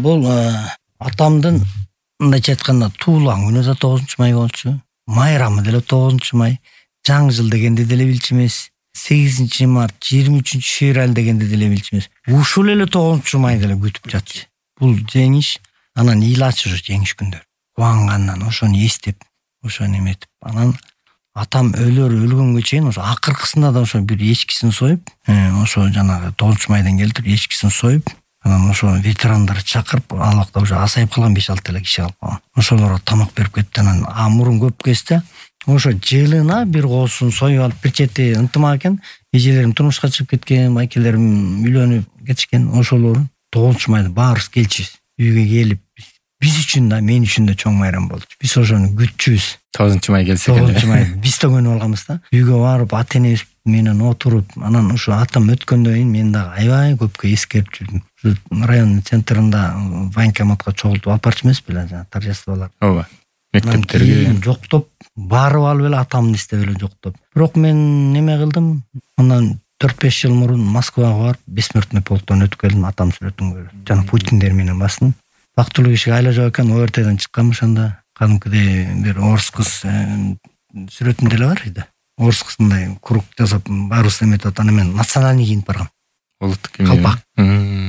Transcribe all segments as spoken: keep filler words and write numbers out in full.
бул атамдын мындайча айтканда туулган күнү да тогузунчу май болчу. Майрамы деле тогузунчу май. Жаңы жыл дегенди деле билчү эмес. сегизинчи март, жыйырма үчүнчү февраль дегенди деле билчү эмес. Ушул эле тогузунчу май деле күтүп жатчы. Бул жеңиш, анан эл ачышы жеңиш күндөр. Кубангандан ошону эстеп, ошону эметип, анан атам өлөр өлгөнгө чейин ошо акыркысында да ошо бир эчкисин союп, ошо жанагы тогузунчу майдан келтирип эчкисин союп, анан ошо ветерандарды чакырып, ал убакта уже азайып калган беш алты эле киши калып калган. Ошолорго тамак берип кетти. Анан а мурун көп кезде ошо жылына бир коосун союп алып, бир чети ынтымак экен. Эжелерим турмушка чыгып кеткен, майкелерим үйлөнүп кетишкен. Ошолорун тогузунчу майда баарыбыз келчүбүз. Үйгө келип, биз үчүн да, мен үчүн да чоң майрам болчу. Биз ошону күтчүбүз. тогузунчу май келсе экен. тогузунчу май биз да көнүп алганбыз да. Үйгө барып, ата энебиз менен отуруп, анан ошо атам өткөндөн кийин мен дагы аябай көпкө эскерип жүрдүм. Районун центринда военкоматка чогултуп алып барчу эмес беле, жана торжестволор. Ооба. Мектептерге жоктоп, барып алып эле атамды издеп эле жоктоп. Бирок мен неме кылдым. Андан төрт беш жыл мурун Москвага барып, бессмертный полктон өтүп келдим, атам сүрөтүн көрүп. Жана Путиндер менен бастым. Бактылуу кишиге айла жок экен, ОРТдан чыкканмын ошондо. Кадимкидей бир орус кыз сүрөтүм деле бар иде. Орус кызындай круг жасап, баарыбыз эметип атат. Аны мен национальный кийинип баргам. Улуттук кийим. Калпак.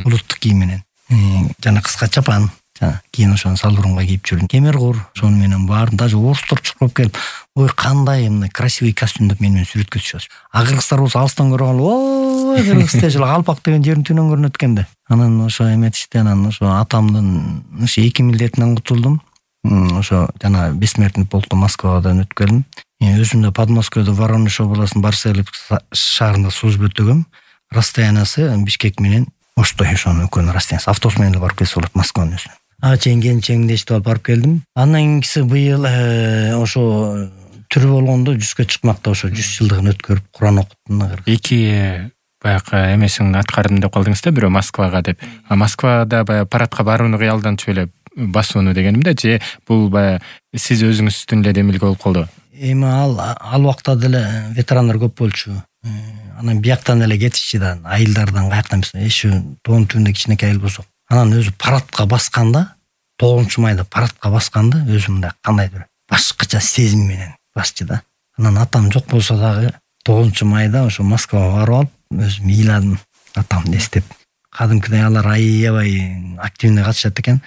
Улуттук кийим менен. Жана кыска чапан. Кийин ошону салбурунга кийип жүрдүм. Кемер-кур, ошону менен бардым. Даже орустар чукуп келип, ой кандай мындай красивый костюм деп менен сүрөткө түшөт. А кыргыздар болсо алыстан көрүп алып, ой кыргыз дешил, Калпак деген жердин түнөн көрүнөт экен да. Анан ошо эметишти, анан ошо атамдын ошо эки милдетинен кутулдум. Ошо жана бессмертный полктон Москвадан өтүп келдим. Өзүм да Подмосковьдо Воронеж областынын Барселевск шаарында служба өтөгөм. Расстояниясы Бишкек менен Оштой, ошонун экөөнүн расстояниясы. Автобус менен барып келсе болот Москванын өзүнө. Ага чейин келинчегимди эшитип алып барып келдим. Андан кийинкиси быйыл ошо тирүү болгондо жүзгө чыкмакта ошо жүз жылдыгын өткөрүп Куран окуттум. Эки баягы эмесин аткардым деп калдыңыз да, бирөө Москвага деп. А Москвада баягы парадка барууну кыялданчу эле басууну дегеним да, же бул баягы сиз өзүңүздүн эле демилге болуп калды? Эми ал ал убакта деле ветерандар көп болчу. Анан бияктан эле кетишчи да, айылдардан каяктан эмес, эши тоонун түбүндө кичинекей айыл болсок. Анан өзү парадка басканда, тогузунчу майда парадка басканда өзү мындай кандайдыр башкача сезим менен басчы да. Анан атам жок болсо дагы тогузунчу майда ошо Москвага барып алып, өзүм ыйладым атамды эстеп. Кадимкидей алар аябай активный катышат экен.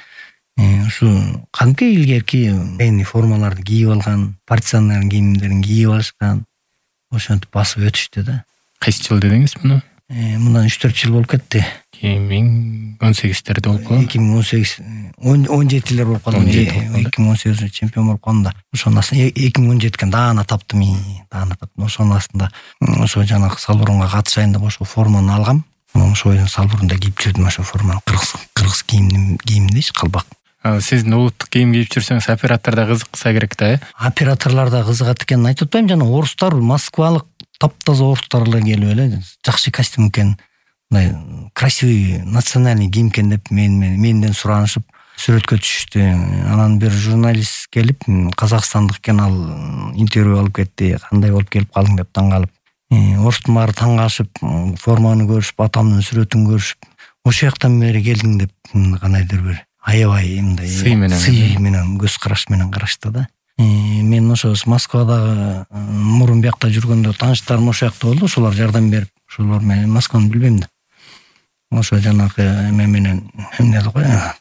Ушу кадимки илгерки военный формаларды кийип алган, партизандардын кийимдерин кийип алышкан. Ошентип басып өтүштү да. Кайсы жыл дедиңиз муну? Мындан үч төрт жыл болуп кетти. эки миң он сегиздерде болуп калган. эки миң он сегиз он жетилер болуп калды. эки миң он сегизде чемпион болуп калдым да. Ошонун астында эки миң он жетиге даана таптым, даана таптым. Ошонун астында ошо жанагы салбурунга катышайын деп ошо форманы алгам. Ошо салбурунда кийип жүрдүм, ошо форманы. Кыргыз кыргыз кийим кийимдейчи, калпак. Сиздин улуттук кийим кийип жүрсөңүз, оператор да кызыкса керек да, э? Операторлор да кызыгат экенин айтып атпайм, жана орустар, москвалык таптаза орустар эле келип эле жакшы костюм экен, мындай красивый национальный кийим экен деп мен менден суранышып сүрөткө түшүштү. Анан бир журналист келип, казакстандык экен, ал интервью алып кетти. Кандай болуп келип калдың деп таң калып. Орустун баары таң калышып, форманы көрүшүп, атамдын сүрөтүн көрүшүп, ошол жактан бери келдиң деп кандайдыр бир аябай мындай сый менен сый менен көз караш менен карашты да. Мен ошо Москвадагы мурун биякта жүргөндө тааныштарым ошол жакта болду, ошолор жардам берип, ошолор менен Москваны билбейм да. Ошо жанагы эме менен эмне го,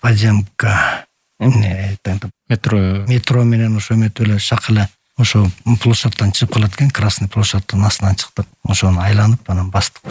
подземка, эмне метро метро менен ошо эметип эле шак эле ошо площадьтан чыгып калат экен, Красный площадьтын астынан чыктык. Ошону айланып анан бастык.